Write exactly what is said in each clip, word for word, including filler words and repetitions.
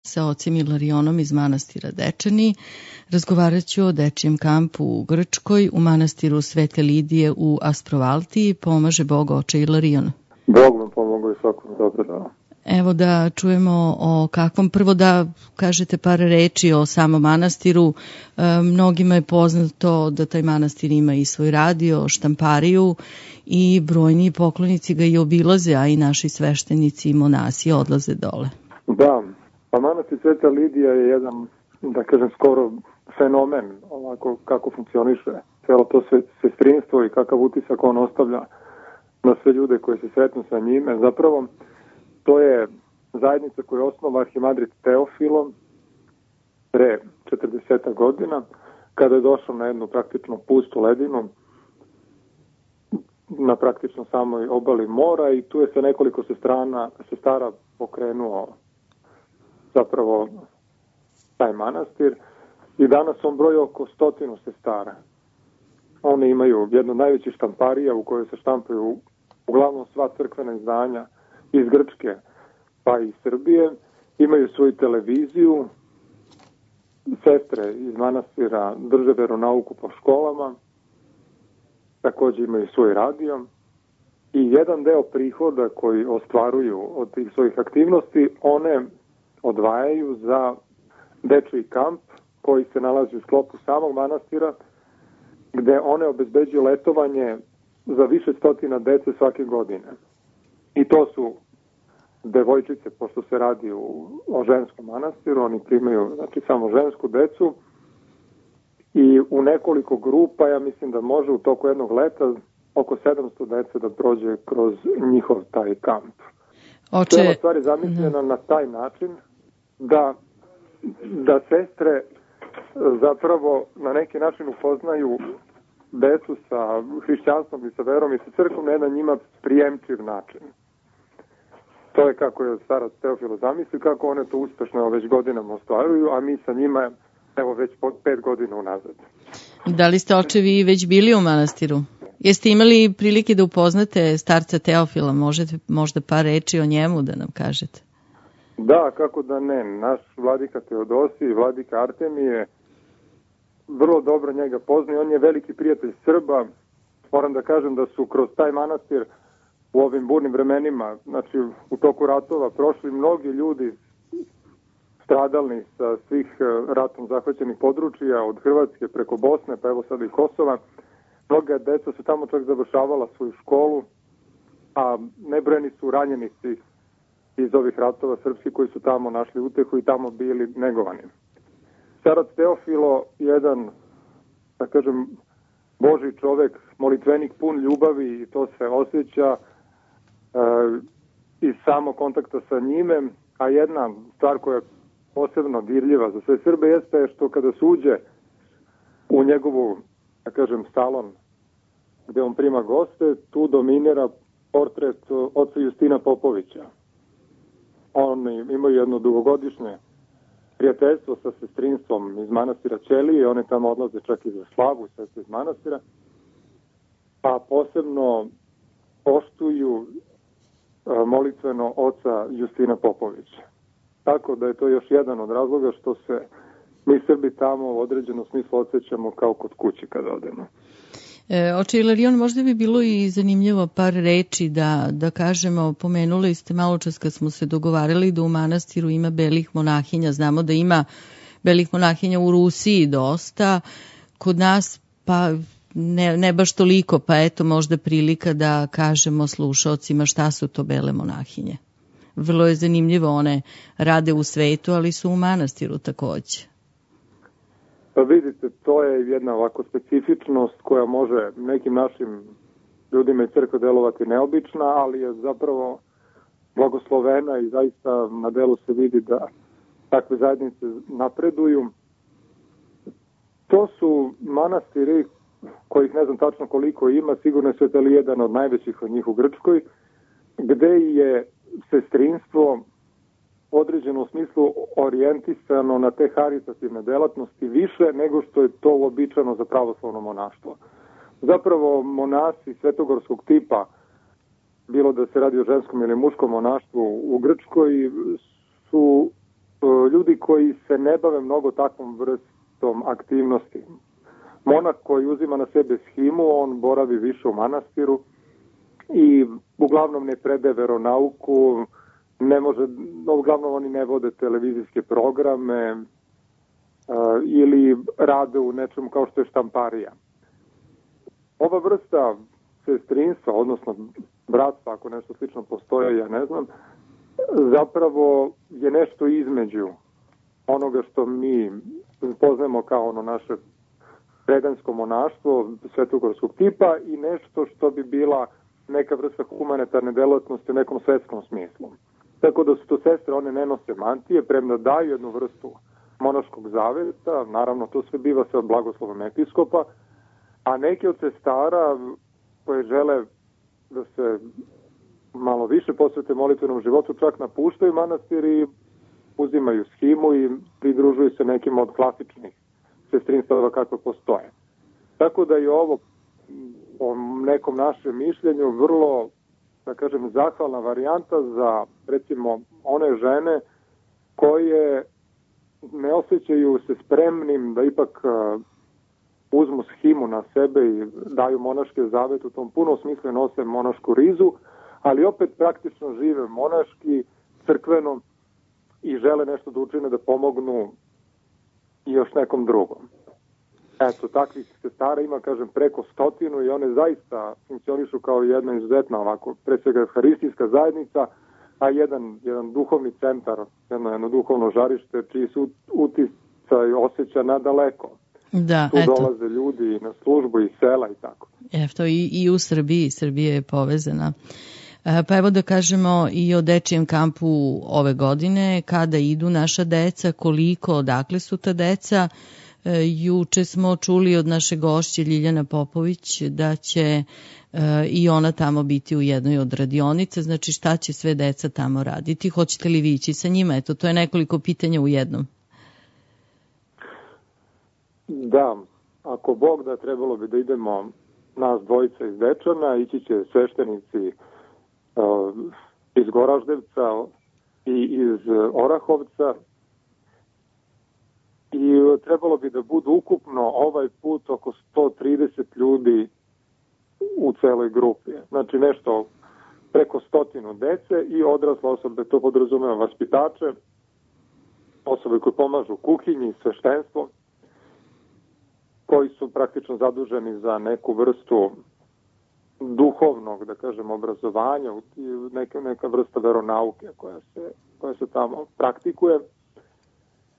sa ocem Ilarionom iz manastira Dečani. Razgovarat ću o dečijem kampu u Grčkoj, u manastiru Svete Lidije u Asprovaltiji. Pomaže Bog oče Ilarion. Bog vam pomogao i svakom dobro da. Evo da čujemo o kakvom, prvo da kažete par reči o samom manastiru. E, mnogima je poznato da taj manastir ima i svoj radio, štampariju i brojni poklonici ga i obilaze, a i naši sveštenici i monasi odlaze dole. Da, pa manastir Sveta Lidija je jedan, da kažem, skoro fenomen ovako kako funkcioniše celo to sestrinstvo i kakav utisak on ostavlja na sve ljude koji se sretnu sa njime. Zapravo, to je zajednica koju je osnovao arhimandrit Teofilo pre četrdeset godina, kada je došao na jednu praktično pustu ledinu, na praktično samoj obali mora, i tu je sa nekoliko sestrana, sestara pokrenuo zapravo taj manastir, i danas on broji oko stotinu sestara. Oni imaju jednu od najvećih štamparija u kojoj se štampaju uglavnom sva crkvena izdanja iz Grčke pa i Srbije. Imaju svoju televiziju, sestre iz manastira drže veronauku po školama, također imaju svoj radio, i jedan deo prihoda koji ostvaruju od tih svojih aktivnosti one odvajaju za dečiji kamp koji se nalazi u sklopu samog manastira, gde one obezbeđuju letovanje za više stotina dece svake godine. I to su devojčice, pošto se radi u, o ženskom manastiru, oni primaju, znači, samo žensku decu, i u nekoliko grupa, ja mislim da može u toku jednog leta oko sedamsto dece da prođe kroz njihov taj kamp. Oče... Cijela stvar je zamišljena na taj način da, da sestre zapravo na neki način upoznaju decu sa hrišćanstvom i sa verom i sa crkvom na jedan njima prijemčiv način. To je kako je starac Teofilo zamislio, kako one to uspešno već godinama ostvaruju, a mi sa njima evo već pet godina unazad. Da li ste, očevi, već bili u manastiru? Jeste imali prilike da upoznate starca Teofila? Možete možda par reči o njemu da nam kažete? Da, kako da ne. Naš vladika Teodosij i vladika Artemije vrlo dobro njega poznaju. On je veliki prijatelj Srba. Moram da kažem da su kroz taj manastir u ovim burnim vremenima, znači u toku ratova, prošli mnogi ljudi stradalni sa svih ratom zahvaćenih područja, od Hrvatske preko Bosne, pa evo sada i Kosova. Mnoga deca su tamo čak završavala svoju školu, a nebrojeni su ranjenici iz ovih ratova srpski koji su tamo našli utehu i tamo bili negovani. Starac Teofilo, jedan, da kažem, Božji čovek, molitvenik, pun ljubavi, i to se osjeća e, iz samog kontakta sa njime, a jedna stvar koja je posebno dirljiva za sve Srbe jeste što kada se uđe u njegovu, da kažem, salon gde on prima goste, tu dominira portret oca Justina Popovića. Oni imaju jedno dugogodišnje prijateljstvo sa sestrinstvom iz manastira Ćelije, oni tamo odlaze čak i za slavu sestre iz manastira, pa posebno poštuju molitveno oca Justina Popovića. Tako da je to još jedan od razloga što se mi Srbi tamo u određenom smislu osjećamo kao kod kuće kada odemo. E, oče Ilarion, možda bi bilo i zanimljivo par reči da, da kažemo, pomenuli ste malo čas kad smo se dogovarali da u manastiru ima belih monahinja. Znamo da ima belih monahinja u Rusiji dosta, kod nas pa ne, ne baš toliko, pa eto možda prilika da kažemo slušaocima šta su to bele monahinje. Vrlo je zanimljivo, one rade u svetu, ali su u manastiru takođe. Pa vidite, to je jedna ovako specifičnost koja može nekim našim ljudima iz crkve delovati neobična, ali je zapravo blagoslovena i zaista na delu se vidi da takve zajednice napreduju. To su manastiri kojih ne znam tačno koliko ima, sigurno je Sveta Elija jedan od najvećih od njih u Grčkoj, gde je sestrinstvo u određenom smislu orijentisano na te haritativne delatnosti više nego što je to uobičajeno za pravoslavno monaštvo. Zapravo monasi svetogorskog tipa, bilo da se radi o ženskom ili muškom monaštvu u Grčkoj, su ljudi koji se ne bave mnogo takvom vrstom aktivnosti. Monah koji uzima na sebe shimu, on boravi više u manastiru i uglavnom ne predaje veronauku, ne može, uglavnom oni ne vode televizijske programe uh, ili rade u nečemu kao što je štamparija. Ova vrsta sestrinstva, odnosno bratstva, ako nešto slično postoje, ja ne znam, zapravo je nešto između onoga što mi poznajemo kao ono naše predansko monaštvo svetogorskog tipa i nešto što bi bila neka vrsta humanitarne delatnosti u nekom svetskom smislu. Tako da su to sestre, one ne nose mantije, premda daju jednu vrstu monaškog zaveta, naravno to sve biva sa blagoslovom episkopa, a neke od sestara koje žele da se malo više posvete molitvenom životu, čak napuštaju manastir i uzimaju shimu i pridružuju se nekim od klasičnih sestrinstava kakve postoje. Tako da je ovo po nekom našem mišljenju vrlo, da kažem, zahvalna varijanta za, recimo, one žene koje ne osjećaju se spremnim da ipak uh, uzmu shimu na sebe i daju monaške zavete, u tom punom smislu nose monašku rizu, ali opet praktično žive monaški, crkveno i žele nešto da učine da pomognu i još nekom drugom. Eto, takvih sestara ima, kažem, preko stotinu i one zaista funkcionišu kao jedna izuzetna ovako, pre svega euharistijska zajednica, a jedan, jedan duhovni centar, jedno, jedno duhovno žarište, čiji su uticaj osjeća nadaleko. Da, tu eto. dolaze ljudi na službu iz sela i tako. Eto, i, i u Srbiji, Srbija je povezana. Pa evo da kažemo i o dečijem kampu ove godine, kada idu naša deca, koliko, odakle su ta deca. Juče smo čuli od naše gošće Ljiljana Popović da će i ona tamo biti u jednoj od radionica, znači šta će sve deca tamo raditi, hoćete li vi ići sa njima? Eto, to je nekoliko pitanja u jednom. Da, ako Bog da, trebalo bi da idemo nas dvojica iz Dečana, ići će sveštenici uh, iz Goraždevca i iz Orahovca i trebalo bi da budu ukupno ovaj put oko sto trideset ljudi u celoj grupi. Znači nešto preko stotinu dece i odrasle osobe, to podrazumeva vaspitače, osobe koje pomažu u kuhinji, sveštenstvo, koji su praktično zaduženi za neku vrstu duhovnog, da kažem, obrazovanja, neka, neka vrsta veronauke koja se, koja se tamo praktikuje,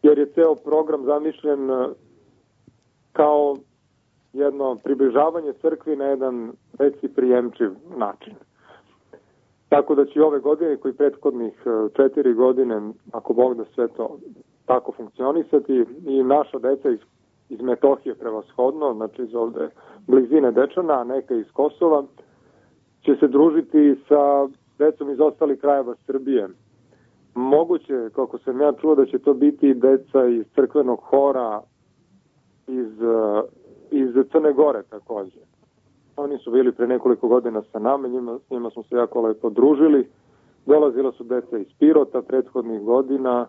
jer je ceo program zamišljen kao jedno približavanje crkvi na jedan veći prijemčiv način. Tako da će ove godine, koji prethodnih četiri godine, ako Bog da sve to tako funkcionisati, i naša deca iz iz Metohije prevashodno, znači iz ovde blizine Dečana, a neka iz Kosova, će se družiti sa decom iz ostalih krajeva Srbije. Moguće, kako sam ja čuo, da će to biti deca iz crkvenog hora iz, iz Crne Gore takođe. Oni su bili pre nekoliko godina sa nama, njima, s njima smo se jako lepo družili. Dolazila su deca iz Pirota prethodnih godina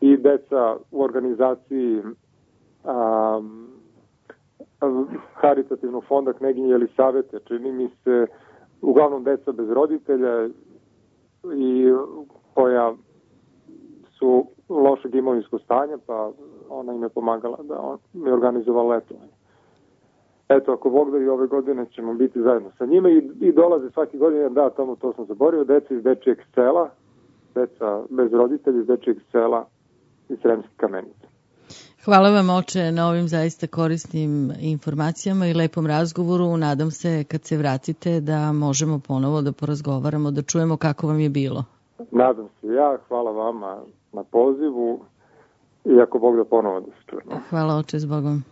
i deca u organizaciji Um, Haritativnog fonda Kneginje Jelisavete, čini mi se, uglavnom deca bez roditelja i koja su lošeg imovinskog stanja, pa ona im je pomagala da on mi je organizovala letovanje. Eto, ako Bog da, i ove godine ćemo biti zajedno sa njima i, i dolaze svaki godine, da, tamo to sam zaboravio, deca iz dečijeg sela, deca bez roditelja iz dečijeg sela iz Sremske Kamenice. Hvala vam, oče, na ovim zaista korisnim informacijama i lepom razgovoru. Nadam se kad se vratite da možemo ponovo da porazgovaramo, da čujemo kako vam je bilo. Nadam se ja, hvala vama na pozivu i ako Bog da ponovo da se čujemo. Hvala, oče, s Bogom.